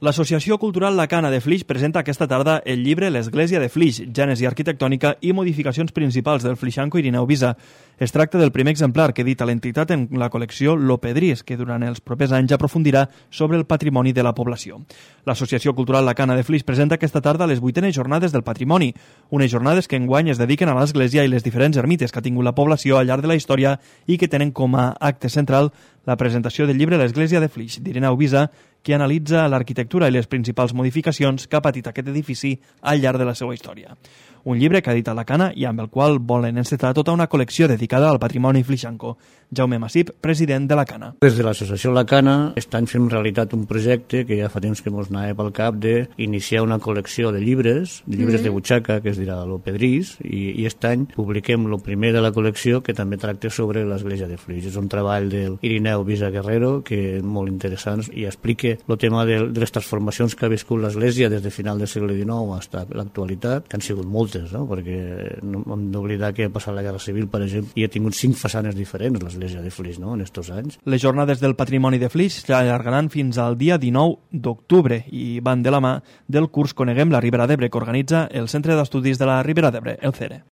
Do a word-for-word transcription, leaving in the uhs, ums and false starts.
L'Associació Cultural La Cana de Flix presenta aquesta tarda el llibre L'Església de Flix, gènesi arquitectònica i modificacions principals del flixanco Irineu Visa. Es tracta del primer exemplar que edita l'entitat en la col·lecció Lo Pedrís, que durant els propers anys aprofundirà sobre el patrimoni de la població. L'Associació Cultural La Cana de Flix presenta aquesta tarda les vuitenes jornades del patrimoni, unes jornades que enguany es dediquen a l'església i les diferents ermites que ha tingut la població al llarg de la història i que tenen com a acte central la presentació del llibre L'Església de Flix, d'Irineu Visa, que analitza l'arquitectura i les principals modificacions que ha patit aquest edifici al llarg de la seva història. Un llibre que ha editat La Cana i amb el qual volen encetar tota una col·lecció dedicada al patrimoni flixanco. Jaume Massip, president de La Cana. Des de l'associació La Cana estan fent realitat un projecte que ja fa temps que ens anava pel cap d'iniciar una col·lecció de llibres, de llibres mm-hmm. de butxaca, que es dirà Lo Pedrís, i, i aquest any publiquem el primer de la col·lecció, que també tracta sobre l'església de Flix. És un treball del Irineu Visa Guerrero, que és molt interessant i explica el tema de, de les transformacions que ha viscut l'església des de final del segle dinou fins a l'actualitat, que han sigut moltes, no? Perquè no hem d'oblidar que ha passat la Guerra Civil, per exemple, i ha tingut cinc façanes diferents l'església de Flix, no?, en estos anys. Les jornades del patrimoni de Flix s'allargaran fins al dia dinou d'octubre i van de la mà del curs Coneguem la Ribera d'Ebre, que organitza el Centre d'Estudis de la Ribera d'Ebre, el C E R E.